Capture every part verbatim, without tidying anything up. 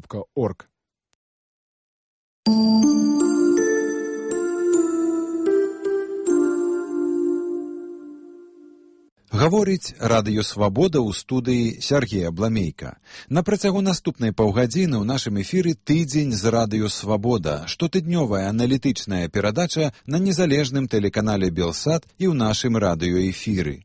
кропка орг. Гаворыць радыё «Свабода» ў студыі Сяргея Бламейка. На працягу наступнай паўгадзіны ў нашым эфіры тыдзень з радыё «Свабода», штотыднёвая аналітычная перадача на незалежным тэлеканале «Белсат» і ў нашым радыёэфіры.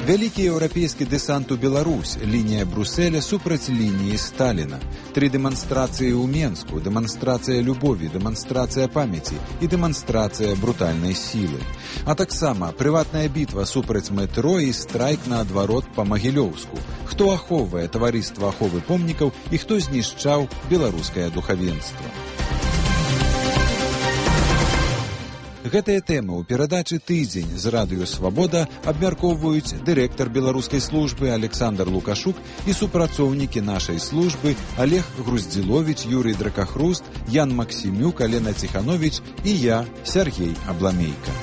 Вялікі еўрапейскі дэсант у Беларусь, лінія Брусэля супраць лініі Сталіна. Тры дэманстрацыі ў Менску, дэманстрацыя любові, дэманстрацыя памяці і дэманстрацыя брутальнай сілы. А таксама прыватная бітва супраць метро і страйк наадварот па Магілёўску. Хто ахоўвае таварыства аховы помнікаў і хто знішчаў беларускае духавенства. Гэтыя тэмы ў перадачы «Тыдзень з радыё «Свабода» абмяркоўваюць дырэктар беларускай службы Александр Лукашук і супрацоўнікі нашай службы Олег Груздзіловіч, Юрый Дракахруст, Ян Максімюк, Алена Ціхановіч і я, Сяргей Абламейка.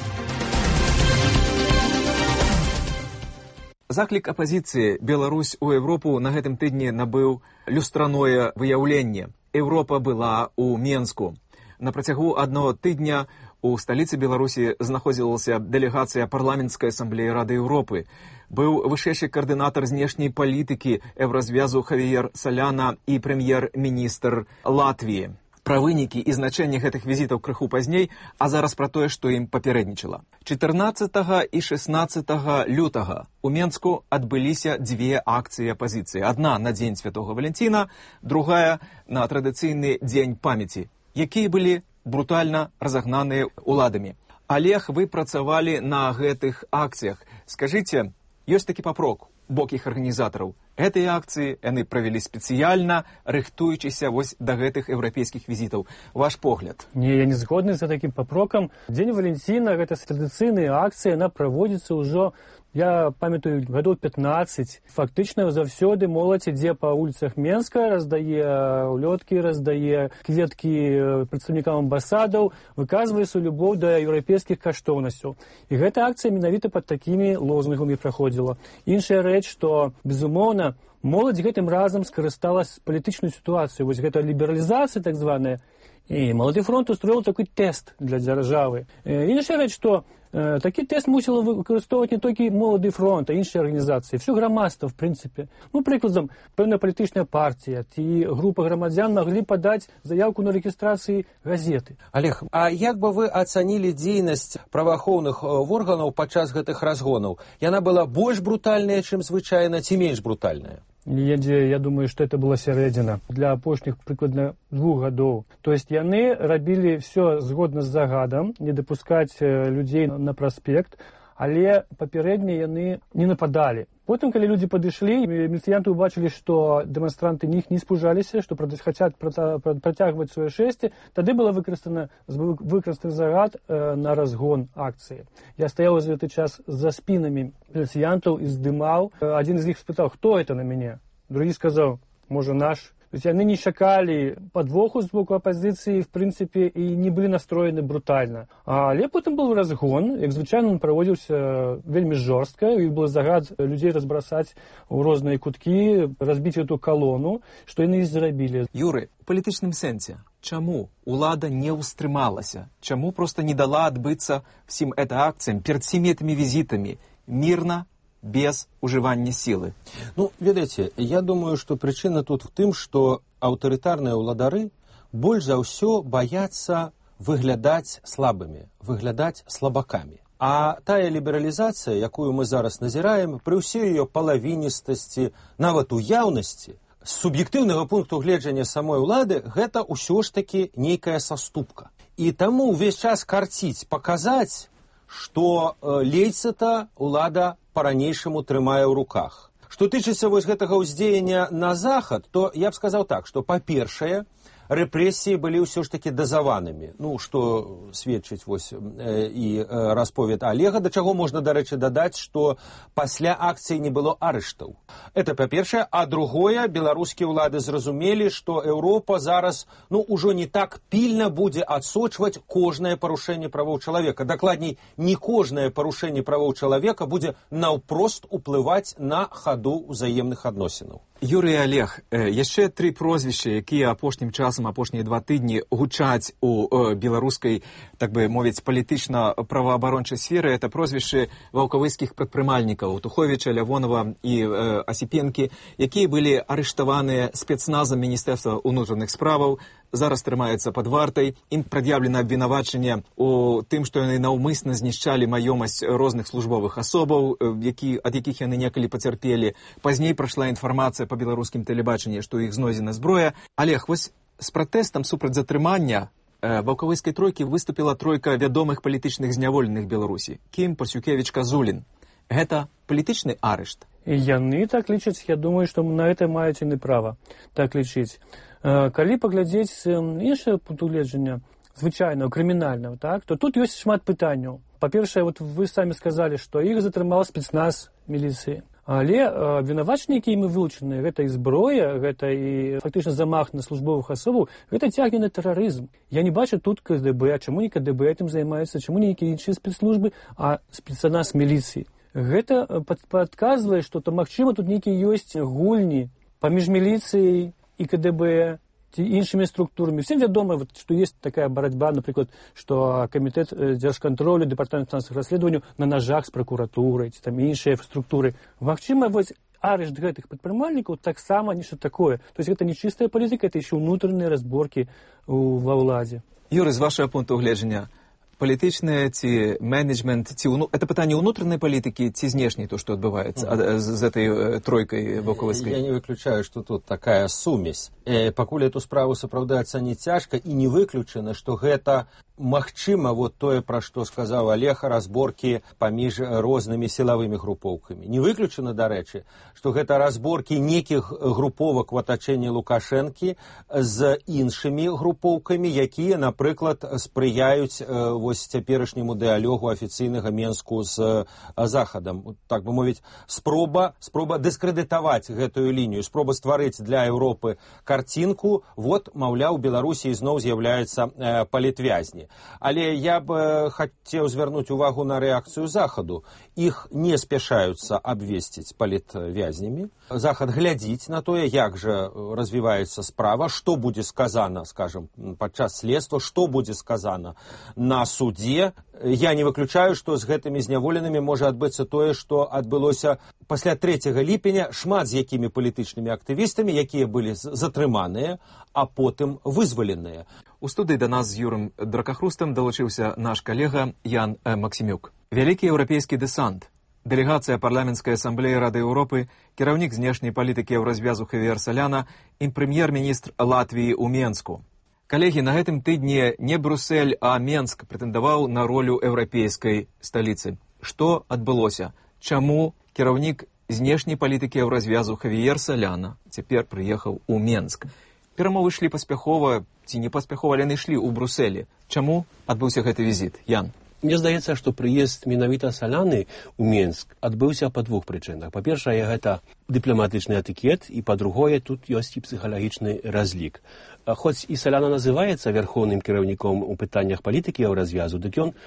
Заклік апазіцыі «Беларусь у Европу» на гэтым тыдні набыў люстраное выяўленне. Еўропа была ў Менску. На працягу аднаго тыдня у сталіцы Беларусі знаходзілася дэлегацыя парламенцкай асамблеі Рады Еўропы. Быў вышэйшы каардынатар знешняй палітыкі еўразвязу Хавіер Саляна і прэм'ер-міністр Латвіі. Пра вынікі і значэнне гэтых візітаў крыху пазней, а зараз пра тое, што ім папярэднічала. чатырнаццатага і шэснаццатага лютага у Менску адбыліся дзве акцыі апазіцыі. Адна на дзень Святога Валянціна, другая на традыцыйны дзень памяці, якія былі брутальна разагнаныя ўладамі. Олег, вы працавалі на гэтых акцыях. Скажыце, ёсць такі папрок у бок іх арганізатараў. Гэтыя акцыі яны правялі спецыяльна, рыхтуючыся вось да гэтых еўрапейскіх візітаў. Ваш погляд? Не, я не згодны за такім папрокам. Дзень Валянціна, гэта традыцыйная акцыя, яна праводзіцца ўжо, я памятаю, гадоў пятнаццаць. Фактычна заўсёды моладзь ідзе па вуліцах Менска, раздае улёткі, раздае кветкі прадстаўнікам амбасадаў, выказвае сваю любоў да еўрапейскіх каштоўнасцяў. І гэта акцыя менавіта пад такімі лозунгамі праходзіла. Іншая рэч, што, безумоўна, моладзь гэтым разам скарысталась палітычную сітуацыю. Вось гэта лібералізацыя так званая. І Малады фронт устроіў такой тэст для дзяржавы. Іншая рэч, што э, такі тэст мусіла выкарыстоўваць не толькі Малады фронт, а іншыя арганізацыі. Всё грамадства, в прынцыпе. Ну, прыкладам, пэўная палітычная партія ці група грамадзян маглі падаць заявку на рэгістрацыі газеты. Олег, а як бы вы ацанілі дзейнасць праваахоўных органаў падчас гэтых разгонаў? Яна была больш брутальная, чым звычайна, ці менш брутальная? Я, я думаю, што это была сярэдзіна для апошніх прыкладна двух гадоў. То есть яны рабілі ўсё згодна з загадам, не дапускаць людзей на праспект, але папярэдне яны не нападалі. Потым, калі людзі падышлі, міліцыянты ўбачылі, што дэманстранты них не спужаліся, што хацяць працягваць сваё шэсце, тады была выкарыстана выкарыстаны загад э, на разгон акцыі. Я стаяў за гэты час за спінамі міліцыянтаў і здымаў. Адзін з іх спытаў, хто это на мяне? Другі сказаў, можа, наш. То есть яны не чакалі падвоху з боку апазіцыі, в прынцыпе, і не былі настроены брутальна. Але потым быў разгон, як звычайна он праводзіўся вельмі жорстка, і быў загад людзей разбрасаць у розныя куткі, разбіць эту калону, што яны і зрабілі. Юры, у палітычным сэнсе, чаму улада не ўстрымалася? Чаму проста не дала адбыцца всім гэта акцыям перад всімі гэтымі візітамі мірна, без ужывання сілы? Ну, ведаеце, я думаю, што прычына тут в тым, што аўтарытарныя ўладары больш за ўсё баяцца выглядаць слабымі, выглядаць слабакамі. А тая лібералізацыя, якую мы зараз назіраем, пры ўсёй ее палавіністасці, нават уяўнасці, з суб'ектыўнага пункту гледжання самой улады, гэта ўсё ж такі нейкая саступка. І таму ўвесь час карціць, паказаць, што лейца-то улада па-ранейшаму трымае ў руках. Што тычыцца вось гэтага ўздзеяння на захад, то я б сказаў так, што, па-першае, рэпрэсіі былі ўсё ж такі дазаванымі. Ну, што сведчыць вось і расповед Олега, да чаго можна, дарэчы, дадаць, што пасля акцыі не было арыштаў. Это па-першае, а другое, беларускія ўлады зразумелі, што Еўропа зараз, ну, ужо не так пільна будзе адсочваць кожнае парушэнне правоў чалавека. Дакладней, не кожнае парушэнне правоў чалавека будзе наўпрост уплываць на хаду ўзаемных адносінаў. Юрый і Олег, яшчэ тры прозвішчы, якія апошнім часам, апошнія два тыдні гучаць у беларускай, так бы мовіць, палітычна-праваабарончай сферы, это прозвішчы ваўкавыцкіх прадпрымальнікаў Туховіча, Лявонова і Асіпенкі, якія былі арыштаваныя спецназам Міністэрства ўнутраных справаў, зараз трымаюцца пад вартай. Ім прад'яўлена абвінавачанне у тым, што яны наўмысна знішчалі маёмасць розных службовых асобаў, які, ад якіх яны некалі пацярпелі. Пазней прайшла інфармацыя па беларускім тэлебачанні, што ў іх знойдзена зброя. Олег, вось з пратэстам супраць затрымання ваўкавыцкай тройкі выступіла тройка вядомых палітычных зняволеных Беларусі. Кім, Пасюкевіч, Казулін. Гэта палітычны арышт? І яны так лічаць, я думаю, што на гэта маюць яны права так лічыць. Калі паглядзець іншае пункту гледжання, звычайного, крымінального, так, то тут ёсць шмат пытанняў. Па-першае, вот вы самі сказалі, што іх затрымаў спецназ міліцыі. Але абвінавачанні, якія імі вылучаны, гэта і зброя, гэта і фактычна замах на службовых асобаў, гэта цягне на тэрарызм. Я не бачу тут ка дэ бэ, а чаму не ка дэ бэ этим займаецца, чаму не нейкія іншыя спецслужбы, а спецназ міліцыі. Гэта падказвае, што то магчыма тут нейкія ёсць гульні паміж міліцыяй і ка дэ бэ, ці іншымі структурамі. Всем вядома, вот, што ёсць такая барацьба, напрыклад, што камітэт дзяржкантролю, дэпартамент фінансавых расследаванняў на нажах з пракуратурай, ці там іншыя структуры. Магчыма, вось арышт гэтых прадпрымальнікаў таксама нешта такое. То есть гэта не чыстая палітыка, это еще ўнутраныя разборкі ва ўладзе. Юрый, з вашего пункту гледжання, палітычныя ці менеджмент, ці уну... это пытанне ўнутранай палітыкі ці знешняй, то, што адбываецца mm-hmm. з этой тройкай ваўкавыцкай? Я не выключаю, што тут такая сумесь. Э, пакуль эту справу сапраўды ацаніць цяжка, і не выключана, што гэта магчыма, вот тое, пра што сказаў Олег, разборкі паміж рознымі сілавымі групоўкамі. Не выключана, дарэчы, што гэта разборкі нейкіх груповак у атачэнні Лукашэнкі з іншымі групоўкамі, якія, напрыклад, спрыяюць э, вось цяперашняму дыалогу афіцыйнага Менску з Захадам. Так бы мовіць, спроба, спроба дыскрэдытаваць гэтую лінію, спроба стварыць для Еўропы карцінку, вот, маўляў, Беларусі зноў з'яўляюцца э, палітвязні. Але я б хацеў звярнуць увагу на рэакцыю Захаду. Іх не спяшаюцца абвесціць палітвязнямі. Захад глядзіць на тое, як жа развіваецца справа, што будзе сказана, скажам, падчас следства, што будзе сказана на судзе. Я не выключаю, што з гэтымі зняволенымі можа адбыцца тое, што адбылося пасля трэцяга ліпеня, шмат з якімі палітычнымі актывістамі, якія былі затрыманыя, а потым вызваленыя. У студыі да нас з Юрым Дракахрустам далучыўся наш калега Ян Максімюк. Вялікі еўрапейскі дэсант, дэлегацыя парламенцкай асамблеі Рады Еўропы, кіраўнік знешняй палітыкі еўразвязу Хавіер Саляна і прэм'ер-міністр Латвіі ў Менску. Калегі, на гэтым тыдні не Брюссель, а Менск прэтэндаваў на ролю еўрапейскай сталіцы. Што адбылося? Чаму кіраўнік знешняй палітыкі еўразвязу Хавіер Саляна цяпер прыехаў у Менск? Перамовы ішлі паспяхова, ці не паспяхова, яны ішлі ў Брюсселі. Чаму адбыўся гэты візіт? Ян? Мне здаецца, што прыезд менавіта Саляны ў Менск адбыўся па двух прычынах. Па-першае, гэта дыпламатычны этыкет, і па-другое, тут ёсць і псіхалагічны разлік. Хоць і Саляна называецца вярхоўным кіраўніком у пытаннях палітыкі еўразвязу, дык ён,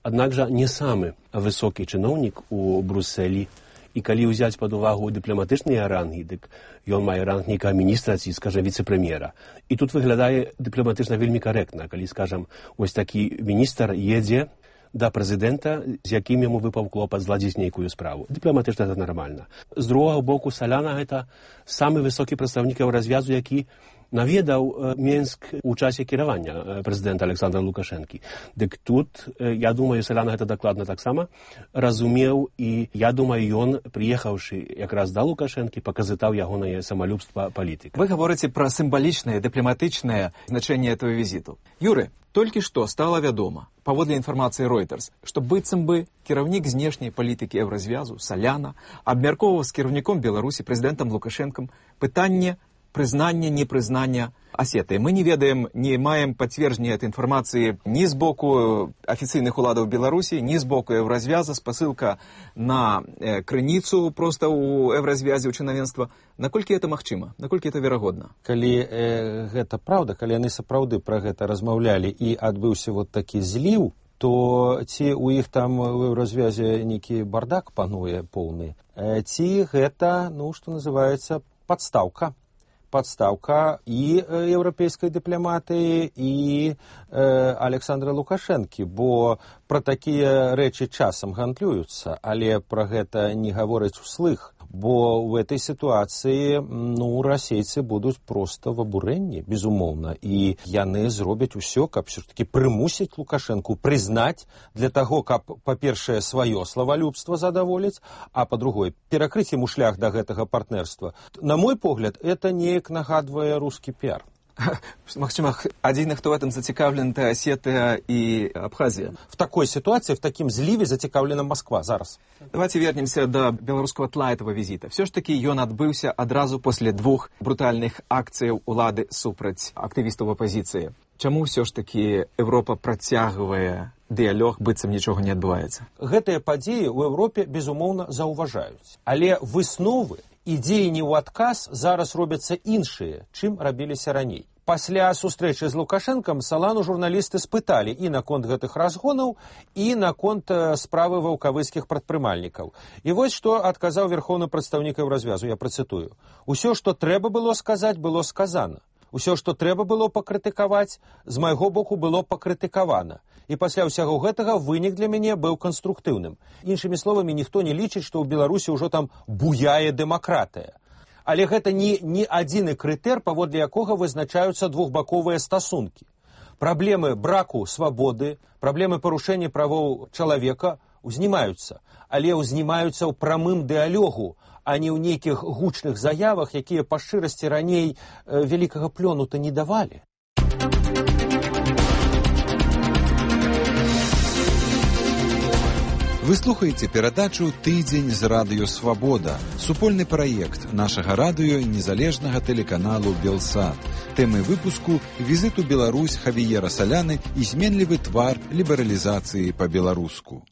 аднак жа, не самы высокі чыноўнік у Брюсселі. І калі ўзяць пад увагу дыпламатычныя рангі, дык ён мае ранг нейкага міністра ці, скажам, віцэ-прэм'ера. І тут выглядае дыпламатычна вельмі карэктна, калі, скажам, вось такі міністр едзе да прэзідэнта, з якім яму выпаў клопат зладзіць нейкую справу. Дыпламатычна гэта нармальна. З другога боку, Саляна гэта самы высокі прадстаўнік еўразвязу, які наведаў Менск у часе кіравання прэзідэнта Александра Лукашэнкі. Дык тут, я думаю, Саляна гэта дакладна таксама разумеў, і я думаю, ён, прыехаўшы якраз да Лукашэнкі, паказытаў ягонае самалюбства палітыка. Вы гаворыце пра сімвалічнае, дыпламатычнае значэнне этого візіту. Юры, толькі што стала вядома, паводле інфармацыі Reuters, што быццам бы кіраўнік знешняй палітыкі еўразвязу Саляна абмяркоўваў з кіраўніком Беларусі, прэзідэнтам Лукашэнкам, пытанне прызнання, непрызнання Асетыі. Мы не ведаем, не маем пацверджання этой інфармацыі ні з боку афіцыйных уладаў Беларусі, ні з боку Еўразвяза, спасылка на э, крыніцу проста ў Еўразвязе, ў чынавенства. Наколькі это магчыма? Наколькі это верагодна? Калі э, гэта праўда, калі яны сапраўды пра гэта размаўлялі і адбыўся вот такі зліў, то ці ў іх там у Еўразвязе нейкі бардак пануе поўны, э, ці гэта, ну, што называецца, падстаўка. Подставка і еўрапейскай дыпламатыі, і э, Александра Лукашэнкі, бо пра такія рэчы часам гандлююцца, але пра гэта не гавораць услых, бо ў этой сітуацыі, ну, расейцы будуць проста в абурэнні, безумоўна, і яны зробяць усё, каб все-таки прымусіць Лукашэнку прызнаць для таго, каб, па-першае, сваё славалюбства задаволіць, а па-другое, перакрыць яму шлях да гэтага партнерства. На мой погляд, это неяк нагадвае рускі піар. Магчыма, адзіны, хто в этом зацікаўлен, это Осетия и Абхазия. В такой ситуации, в таким зливе зацікаўлена Москва зараз. Давайте вернемся до беларускага тла этого визита. Все ж таки ён адбыўся адразу после двух брутальных акцыяў улады супраць актывістаў апозіцыі. Чаму все ж таки Европа працягвае дыялог, быццам нічога не адбываецца? Гэтыя падзеі ў Европе, безумоўна, заўважаюць. Але высновы і дзеянні ў адказ зараз робяцца іншыя, чым рабіліся раней. Пасля сустрэчы з Лукашэнкам Салану журналісты спыталі і наконт гэтых разгонаў, і наконт справы ваўкавыцкіх прадпрымальнікаў. І вось што адказаў верхоўны прадстаўнік Еўразвязу, я працытую. Усё, што трэба было сказаць, было сказана. Усё, што трэба было пакрытыкаваць, з майго боку было пакрытыкавана. І пасля ўсяго гэтага вынік для мяне быў канструктыўным. Іншымі словамі, ніхто не лічыць, што ў Беларусі ўжо там буяе дэмакратыя. Але гэта не, не адзіны крытэр, паводле якога вызначаюцца двухбаковыя стасункі. Праблемы браку свабоды, праблемы парушэння правоў чалавека узнімаюцца, але узнімаюцца ў прамым дыялогу, а не ў нейкіх гучных заявах, якія па шчырасці раней э, вялікага плёну-то не давалі. Вы слухаеце перадачу «Тыдзень з радыё Свабода», супольны праект нашага радыё і незалежнага тэлеканалу «Белсат». Тэмы выпуску – візит у Беларусь Хавіера Саляны і зменлівы твар лібералізацыі па-беларуску.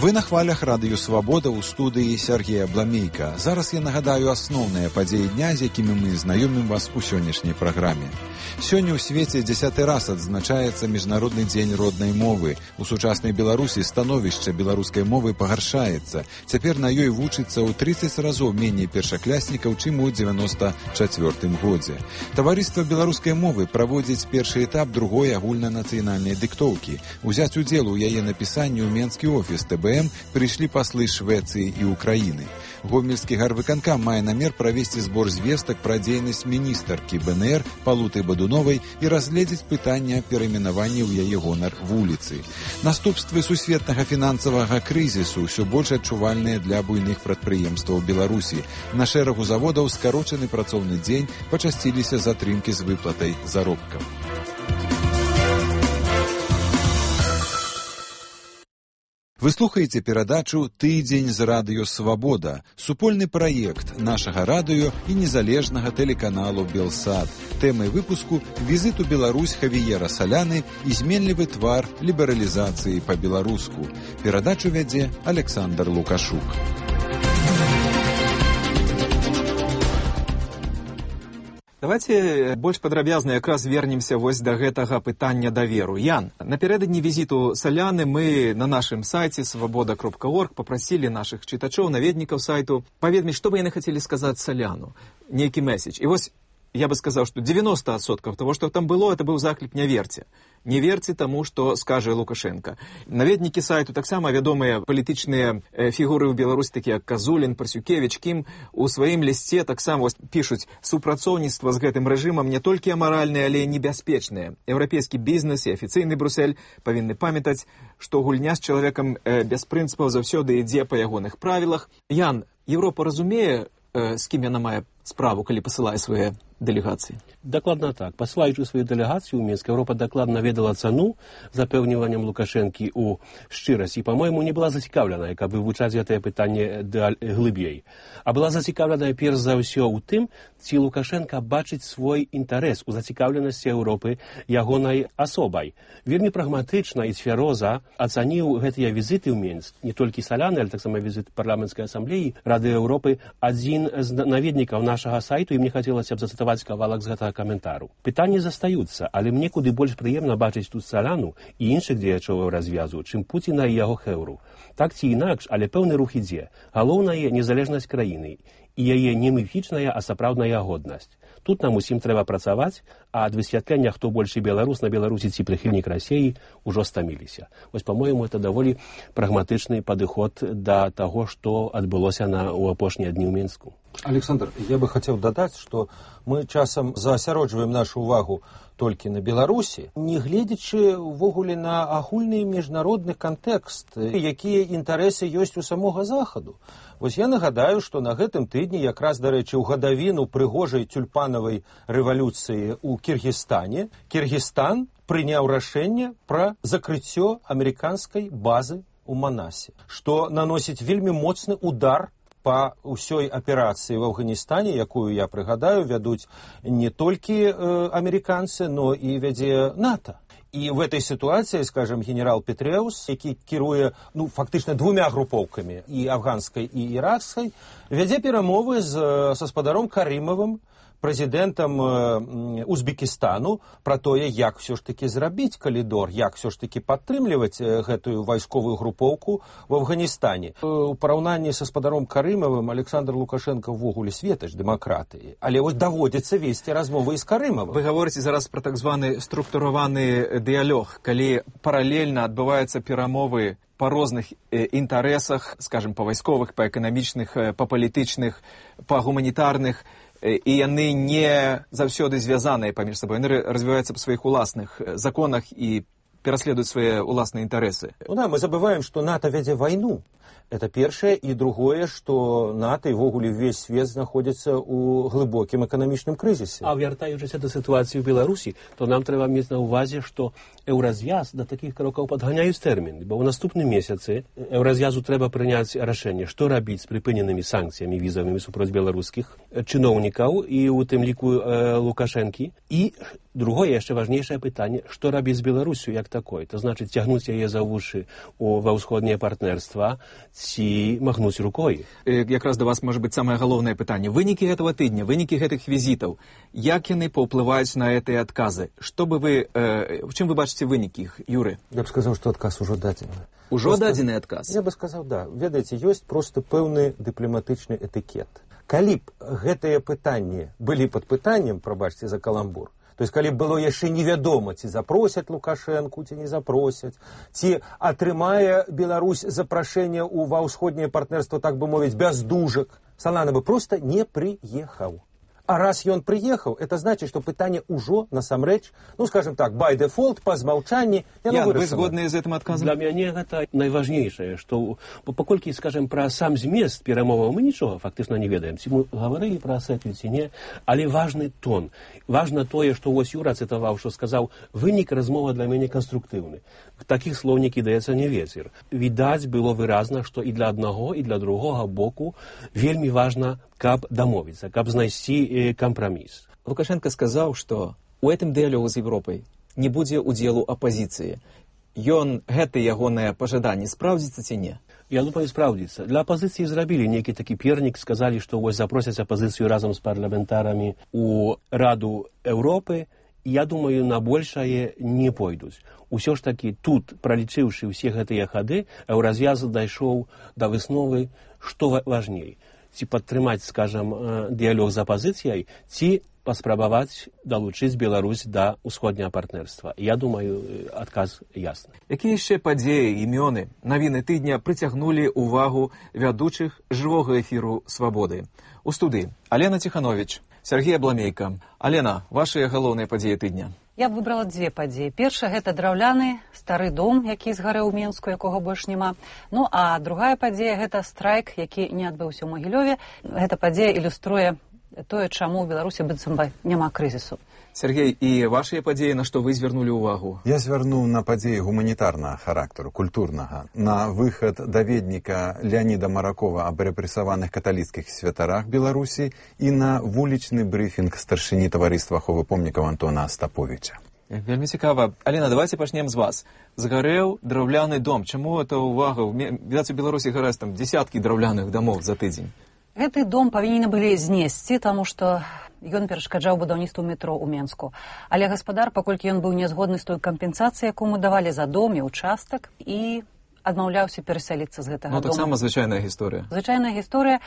Вы на хвалях радыё Свабода ў студыі Сергея Бламейка. Зараз я нагадаю асноўныя падзеі дня, з якімі мы знаёмім вас у сённяшняй праграме. Сёння ў свеце дзесяты раз адзначаецца Міжнародны дзень роднай мовы. У сучаснай Беларусі становішча беларускай мовы пагаршаецца. Цяпер на ёй вучыцца ў трыццаць разоў меней першакляснікаў, чым у дзевяноста чацвёртым годзе. Таварыства беларускай мовы праводзіць першы этап другой агульнанацыянальнай дыктоўкі. Узяць удзел у яе напісанні ў менскі офіс тэ бэ эм прыйшлі паслы Швецыі і Украіны. Гомельскі гарвыканкам мае намер правесці збор звестак пра дзейнасць міністаркі бэ эн ер Палуты Бадуновай і разгледзець пытанне перайменавання ў яе гонар вуліцы. Наступствы сусветнага фінансавага крызісу ўсё больш адчувальныя для буйных прадпрыемстваў Беларусі. На шэрагу заводаў скарочаны працоўны дзень, пачасціліся затрымкі з выплатай заробкаў. Вы слухаеце перадачу «Тыдзень з радыё Свабода», супольны праект нашага радыё і незалежнага тэлеканалу «Белсат». Тэмай выпуску – візит у Беларусь Хавіера Саляны і зменлівы твар лібералізацыі па-беларуску. Перадачу вядзе Александр Лукашук. Давайте больш падрабязна якраз вернемся вось да гэтага пытання даверу. Ян, напярэдадні візіту Саляны мы на нашым сайце свабода кропка орг папрасілі нашых чытачоў, наведнікаў сайту паведаміць, што бы яны хацелі сказаць Саляну, нейкі месседж. І вось я бы сказаў, што дзевяноста адсоткаў того, што там было, это быў заклік не верце. Не верце таму, што скажа Лукашенко. Наведнікі сайту таксама вядомыя палітычныя фігуры ў Беларусі, такія як Казулін, Парсюкевіч, Кім, у сваім лісце таксама пішуць: супрацоўніцтва з гэтым рэжымам не толькі амаральнае, але і небяспечнае. Еўрапейскі бізнес і афіцыйны Брюссель павінны памятаць, што гульня з чалавекам без прынцыпаў заўсёды ідзе па ягоных правілах. Ян, Еўропа разумее, з кім яна мае справу, калі пасылае свае дэлегацыі? Дакладна так. Пасылаючы сваю дэлегацыю ў Мінск, Еўропа дакладна ведала цану запэўніваннем Лукашэнкі ў шчырасці. І, па-мойму, не была зацікаўленая, каб вывучаць гэтае пытанне глыбей. А была зацікаўленая перш за ўсё ў тым, ці Лукашенка бачыць свой інтарэс у зацікаўленасці Еўропы ягонай асобай. Вельмі прагматычна і цвяроза ацаніў гэтыя візіты ў Мінск, не толькі Саляны, але таксама візіт парламенцкай асамблеі Рады Еўропы, адзін з наведнікаў нашага сайту, і мне хацелася б зацытаваць кавалак з гэтага каментару. Пытанні застаюцца, але мне куды больш прыемна бачыць тут Саляну і іншых дзеячоў развязу, чым Пуціна і яго хэўру. Так ці інакш, але пэўны рух ідзе. Галоўнае незалежнасць краіны і яе не міфічная, а сапраўдная годнасць. Тут нам усім трэба працаваць, а ад высвятлення, хто большы беларус на Беларусі ці прыхільнік Расіі, ужо стаміліся. Вось, па-мойму, это даволі прагматычны падыход да таго, што адбылося на, у апошнія дні ў Мінску. Александр, я бы хотел додать, что мы часам заасяроджваем нашу увагу толькі на Беларусі, не гледзячы ўвогуле на агульны міжнародны кантэкст, якія інтарэсы ёсць у самога Захаду. Вось я нагадаю, што на гэтым тыдні, якраз, дарэчы, у гадавіну прыгожай тюльпанавай рэвалюцыі ў Кіргізстане, Кіргізстан прыняў рашэнне пра закрыццё амерыканскай базы ў Манасе, што наносіць вельмі моцны удар па ўсёй аперацыі в Афганістане, якую, я прыгадаю, вядуць не толькі э, амерыканцы, но і вядзе НАТО. І в этой ситуации, скажем, генерал Петреус, які кіруе, ну, фактычна двумя групоўкамі, і афганскай, і іракскай, вядзе перамовы з, са спадаром Карымавым, прэзідэнтам Узбекістану, пра тое, як все ж таки зрабіць калідор, як все ж таки падтрымліваць гэтую вайсковую групоўку в Афганістане. У параўнанні са спадаром Карымавым Александр Лукашенко ввогуле светач дэмакратыі, але вось даводзіцца весці размовы і з Карымавым. Вы гаворыце зараз пра так званы структураваны дыялог, калі паралельна адбываюцца перамовы па розных інтарэсах, скажем, па вайсковых, па эканамічных, па палітычных, па гуманітарных, і яны не заўсёды звязаныя паміж сабой, яны развіваюцца па сваіх уласных законах і пераследуюць свае уласныя інтарэсы. Ну да, мы забываем, што НАТО вядзе вайну. Это першае, і другое, што НАТО і ввогуле ўвесь свет знаходзіцца ў глыбокім эканамічным крызісе. А вяртаючыся да сітуацыі ў Беларусі, то нам трэба мець на ўвазе, што еўраз'яз да такіх крокаў падганяюць тэрмін, бо ў наступным месяцы еўраз'язу трэба прыняць рашэнне, што рабіць з прыпыненымі санкцыямі візавымі супроць беларускіх чыноўнікаў і у тым ліку э, Лукашэнкі. І другое, яшчэ важнейшае пытанне, што рабіць з Беларусю як такой, то значыць цягнуць яе за вушы у, ва ўсходняе партнерства, ці махнуць рукой. Якраз да вас можа быць самае галоўнае пытанне. Вынікі гэтага тыдня, вынікі гэтых візітаў, як яны паўплываюць на гэтыя адказы? Што бы вы, э, в чым вы бачыце вынікі іх, Юры? Я б сказаў, што адказ ужо дадзены. Ужо дадзены адказ? Я бы сказаў, да. Ведаеце, ёсць проста пэўны дыпламатычны этыкет. Калі б гэтыя пытанні былі пад пытаннем, прабачце за каламбур, то есть, калі было яшчэ невядома, ці запросяць Лукашэнку, ці не запросяць, ці атрымае Беларусь запрашэнне ў ва ўсходняе партнерства, так бы мовіць, без дужак, Салана бы проста не прыехаў. А раз ён прыехаў, это значыць, што пытанне ўжо насамрэч, ну, скажем так, by default, па змаўчанні, яно вырашана. Вы згодныя з гэтым адказам? Для мяне гэта найважнейшае, што паколькі, скажем, пра сам змест перамоваў мы нічога фактычна не ведаем, ці мы гаварылі пра асетві, ці не, але важны тон. Важна тое, што вось Юра цытаваў, што сказаў, вынік размова для мяне канструктыўны. Такіх слоў не кідаецца не вецер. Відаць было выразна, што і для аднаго, і для другога боку вельмі важна, каб дамовіцца, каб знайсці кампраміс. Лукашенко сказаў, што у гэтым дыялогу з Европай не будзе удзелу апазіцыі. Ён, гэта ягонае пажаданне, спраўдзіцца ці не? Я думаю, спраўдзіцца. Для апазіцыі зрабілі нейкі такі пернік, сказалі, што вось запросяць апазіцыю разам з парламентарамі у Раду Еўропы. Я думаю, на большае не пойдуць. Усё ж такі тут, пралічыўшы ўсе гэтыя хады, еўраз'яз дайшоў да высновы, што важней. Ці падтрымаць, скажам, дыялог з апазіцыяй, ці паспрабаваць далучыць Беларусь да ўсходняга партнерства. Я думаю, адказ ясны. Якія яшчэ падзеі, імёны, навіны тыдня прыцягнулі ўвагу вядучых жывога эфіру «Свабоды»? У студыі Алена Ціхановіч, Сергей Абламейка. Алена, вашыя галоўныя падзеі тыдня? Я б выбрала дзве падзеі. Першая – гэта драўляны стары дом, які згарэў у Мінску, якога больш няма. Ну, а другая падзея – гэта страйк, які не адбыўся ў Магілёве. Гэта падзея ілюструе тое, чаму ў Беларусі быццам бы няма крызісу. Сергей, і вашыя падзеі, на што вы звярнулі ўвагу? Я звярнуў на падзеі гуманітарнага характару, культурнага, на выхад даведніка Леаніда Маракова аб рэпрэсаваных каталіцкіх святарах Беларусі і на вулічны брыфінг старшыні таварыства аховы помнікаў Антона Астаповіча. Вельмі цікава. Алена, давайте пачнем з вас. Згарэў драўляны дом. Чаму это ўвага? Відаць, у Беларусі гараць там дзесяткі драўляных дамоў за тыдзень. Гэты дом павінны былі знесці, таму што ён перашкаджаў будаўніцтву метро ў Менску. Але гаспадар, паколькі ён быў нязгодны з той кампенсацыяй, якую давалі за дом і участак, і адмаўляўся перасяліцца з гэтага дома. Ну, таксама дома. звычайная гісторыя. Звычайная гісторыя,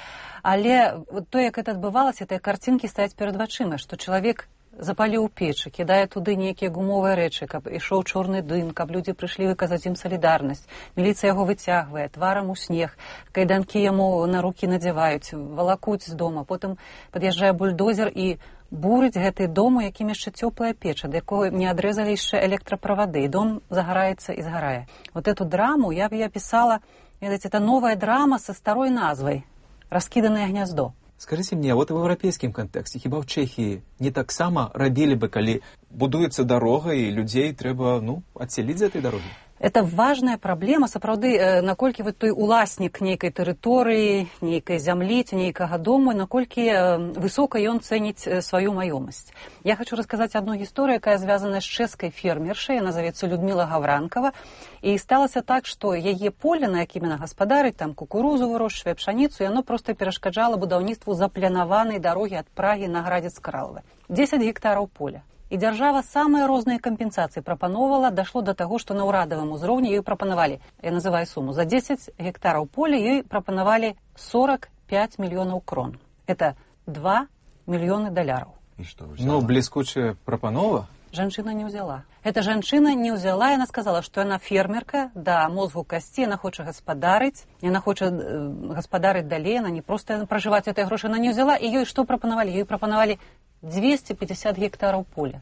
але то, як гэта адбывалася, тыя карцінкі стаяць перад вачыма, што чалавек запаліў печы, кідае туды нейкія гумовыя рэчы, каб ішоў чорны дым, каб людзі прыйшлі выказаць ім салідарнасць. Міліцыя яго выцягвае, тварам у снег, кайданкі яму на рукі надзяваюць, валакуць з дома. Потым пад'язджае бульдозер і бурыць гэты дом, у якім яшчэ цёплая печа, да якой не адрэзалі яшчэ электраправады, і дом загараецца і згарае. Вот эту драму я б я пісала, ведаеце, это новая драма са старой назвай «Раскіданае гняздо». Скажите мне, вот в европейском контексте, хіба в Чехии не так само робили бы, коли будуется дорога, и людей треба, ну, отселить за этой дороги? Это важная праблема, сапраўды, наколькі вот той уласнік нейкай тэрыторыі, нейкай зямлі, ці нейкага дому, наколькі высока ён цэніць сваю маёмасць. Я хочу расказаць одну гісторыю, якая звязана з чэшскай фермершай, яна завецца Людмила Гавранкова, і сталася так, што яе поле, на якім яна гаспадарыць, там кукурузу вырошчвае, пшаніцу, яно проста перашкаджала будаўніцтву запланаванай дарогі ад Прагі на Градзец-Кралаве. дзесяць гектараў поля. І дзяржава самыя розныя кампенсацыі прапановала, дашло да таго, што на ўрадавым узроўні ёй прапанавалі, я называю суму, за дзесяць гектараў поля ёй прапанавалі сорок пять мільёнаў крон. Это два мільёны даляраў. Ну, бліскучая прапанова? Жанчына не ўзяла. Эта жанчына не ўзяла, яна сказала, што яна фермерка, да мозгу касці, яна хоча гаспадарыць, яна хоча э, гаспадарыць далей, яна не проста пражываць этой грошы, яна не ўзяла, і ёй што прапанавалі? Ёй прапанавалі двести пятьдесят гектараў поля.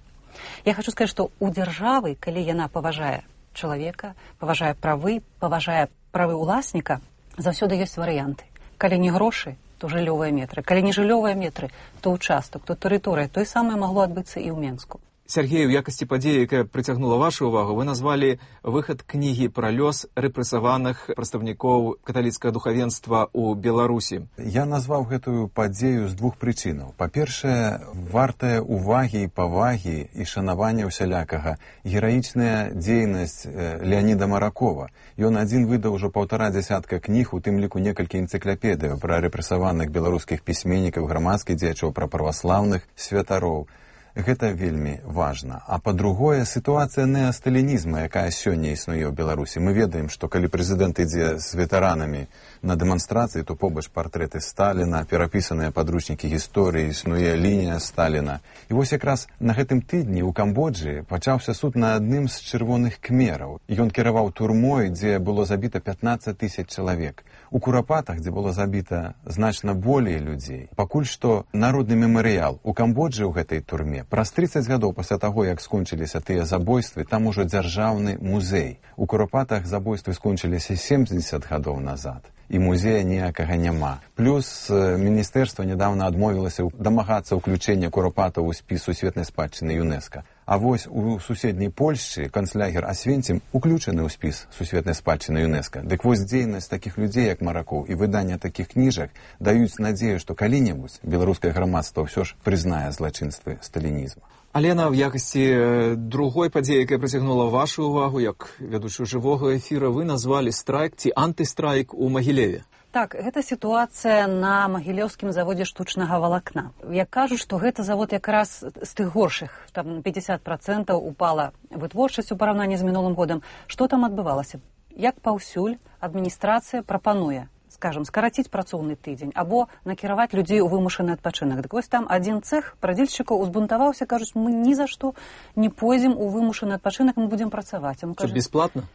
Я хочу сказать, что у дзяржавы, калі яна паважае чалавека, паважае правы, паважае правы ўласніка, заўсёды ёсць варыянты. Калі не грошы, то жыллёвыя метры. Калі не жыллёвыя метры, то ўчастак, то тэрыторыя. Тое самае магло адбыцца і ў Менску. Сергей, у якасці падзеі, якая прыцягнула вашу ўвагу, вы назвалі выхад кнігі пра лёс рэпрэсаваных прадстаўнікоў каталіцкага духавенства ў Беларусі. Я назваў гэтую падзею з двух прычынаў. Па-першае, вартая увагі і павагі і шанавання ўсялякага гераічная дзейнасць Леаніда Маракова. Ён адзін выдаў ужо паўтара дзясятка кніг, у тым ліку некалькі энцыклапедыяў пра рэпрэсаваных беларускіх пісьменнікаў, грамадскіх дзеячоў, пра праваслаўных святароў. Гэта вельмі важна. А па-другое, сітуацыя неасталінізма, якая сёння існуе ў Беларусі. Мы ведаем, што калі прэзідэнт ідзе з ветэранамі на дэманстрацыі, то побач партрэты Сталіна, перапісаныя падручнікі гісторыі, існуе лінія Сталіна. І вось якраз на гэтым тыдні ў Камбоджы пачаўся суд на адным з чырвоных кхмераў. Ён кіраваў турмой, дзе было забіта пятнаццаць тысяч чалавек. У Курапатах, дзе было забіта значна болей людзей. Пакуль што народны мемарыял у Камбоджы ў гэтай турме. Праз трыццаць гадоў пасля таго, як скончыліся тыя забойствы, там ужо дзяржаўны музей. У Курапатах забойствы скончыліся семьдесят гадоў назад. І музея ніякага няма. Плюс міністэрства нядаўна адмовілася дамагацца ўключэння Курапатаў у спіс сусветнай спадчыны ЮНЕСКО. А вось у суседняй Польшчы канцлягер Асвенцім уключаны ў спіс сусветнай спадчыны ЮНЕСКО. Дык вось дзейнасць такіх людзей, як Маракоў, і выданне такіх кніжак даюць надзею, што калі-небудзь беларускае грамадства ўсё ж прызнае злачынствы сталінізму. Алена, в якасці другой падзеі, якая прыцягнула вашу ўвагу, як вядучую жывога эфіра, вы назвалі страйк ці антыстрайк у Магілеве. Так, гэта сітуацыя на магілёўскім заводзе штучнага валакна. Я кажу, што гэта завод якраз з тых горшых, там пятьдесят процентов упала вытворчасць у параўнанні з мінулым годам. Што там адбывалася? Як паўсюль адміністрацыя прапануе, скажем, скараціць працоўны тыдзень або накіраваць людзей у вымушаны адпачынак. Дык вось там адзін цэх прадзельшчыкаў узбунтаваўся, кажуць, мы ні за што не пойдзем у вымушаны адпачынак, мы будзем працаваць. Што, бесплатна?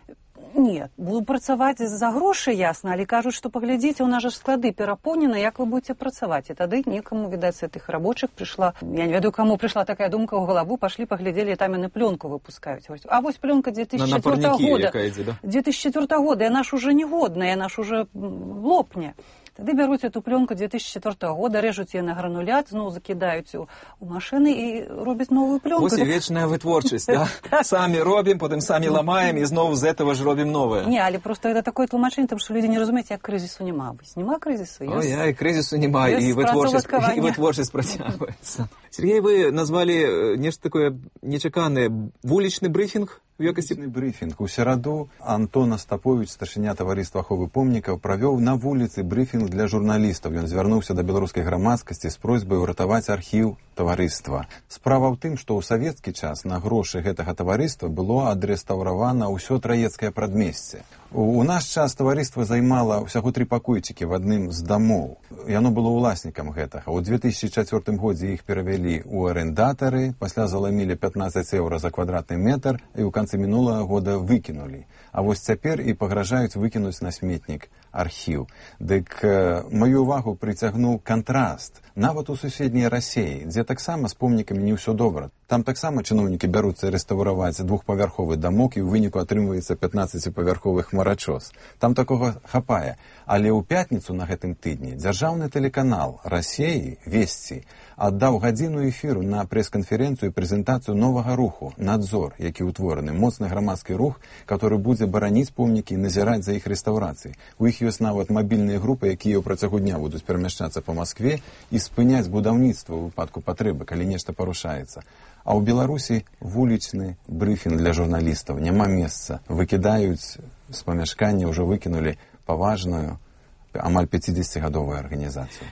Нет, буду працаваць за грошы, ясна, але кажуць, што паглядзіце, у нас жа склады перапоўнены, як вы будзеце працаваць. І тады некаму, відаць, з гэтых рабочых прыйшла, я не ведаю, каму прыйшла такая думка ў галаву, пашлі, паглядзелі, там яны плёнку выпускаюць. А вось плёнка две тысячи четвёртого года. Якая ідзе, да? две тысячи четвёртого года, яна ж уже негодная, яна ж уже лопне. Тады бяруць эту пленку две тысячи четвёртого года, рэжуць яе на гранулят, зноў закідаюць у, у машыны і робяць новую пленку. Вось і вечная вытворчасць, да? Самі робім, потым самі ламаем і зноў з этого ж робім новое. Не, але просто это такое тлумачэнне, тому што людзі не разумеюць, як крызісу няма. Нема крызісу. Ой, ай, крызісу няма, і вытворчасць, і вытворчасць працягваецца. Сергей, вы назвалі нешта такое нечаканае, вулічны брифінг? Вулічны брифінг. У сераду Антон Остапович, старшыня таварыства аховы помнікаў, правёў на вуліцы брифінг для журналістаў. Ён звярнуўся да беларускай грамадскасці з просьбай уратаваць архіў таварыства. Справа ў тым, што ў савецкі час на грошы гэтага таварыства было адрэстаўравана ўсё траецкае прадмесце. У наш час таварыства займала ўсяго тры пакойчыкі в адным з дамоў. Яно было ўласнікам гэтага. У две тысячи чацвёртым годзе іх перавялі ў арэндатары, пасля заламілі пятнаццаць еўра за квадратны метр і ў канцы мінулага года выкінулі. А вось цяпер і пагражаюць выкінуць на сметнік архіў. Дык э, маю увагу прыцягнуў кантраст. Нават у суседняй Расеі, дзе таксама з помнікамі не ўсё добра. Там таксама чыноўнікі бяруцца рэстаўраваць двухпавярховы дамок і ў выніку атрымваецца пятнаццаціпавярховы хмарачос. Там такога хапае. Але ў пятніцу на гэтым тыдні дзяржаўны тэлеканал Расеі, Весці, аддаў гадзіну эфіру на прэс-канферэнцыю і прэзентацыю новага руху «Надзор», які ўтвораны, моцны грамадскі рух, который будзе бараніць помнікі і назіраць за іх рэстаўрацыяй. У іх ёсць нават мабільныя групы, якія ў працягу дня будуць перамяшчацца па Маскве і спыняць будаўніцтва ў выпадку патрэбы, калі нешта парушаецца. А ў Беларусі вулічны брыфінг для журналістаў. Няма месца. Выкідаюць з памяшкання, ўжо выкінулі паважную, амаль пяцідзесяцігадовую арганізацыю.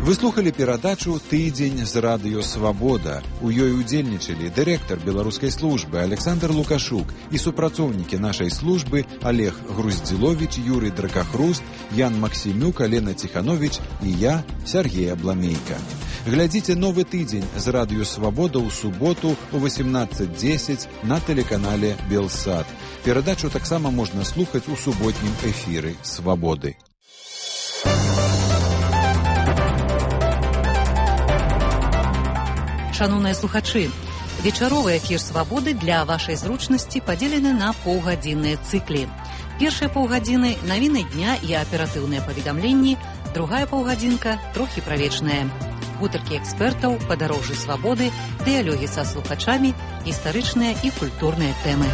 Вы слухали перадачу «Тыдзень з радыё Свабода». У ёй удзельнічалі дырэктар беларускай службы Александр Лукашук і супрацоўнікі нашай службы Олег Груздзіловіч, Юрый Дракахруст, Ян Максімюк, Алена Ціхановіч і я, Сергей Абламейка. Глядзіце новы тыдзень з радыё Свабода ў суботу ў восемнадцать десять на тэлеканале Белсат. Перадачу таксама можна слухаць у суботнім эфіры Свабоды. Шановныя слухачы, вечаровы эфір «Свабоды» для вашай зручнасці падзелены на паўгадзінныя цыклі. Першыя паўгадзіны – навіны дня і аператыўныя паведамленні, другая паўгадзінка – трохі правечная. Гутаркі экспертаў, падарожжы свабоды, дыялогі са слухачамі, гістарычныя і культурныя тэмы.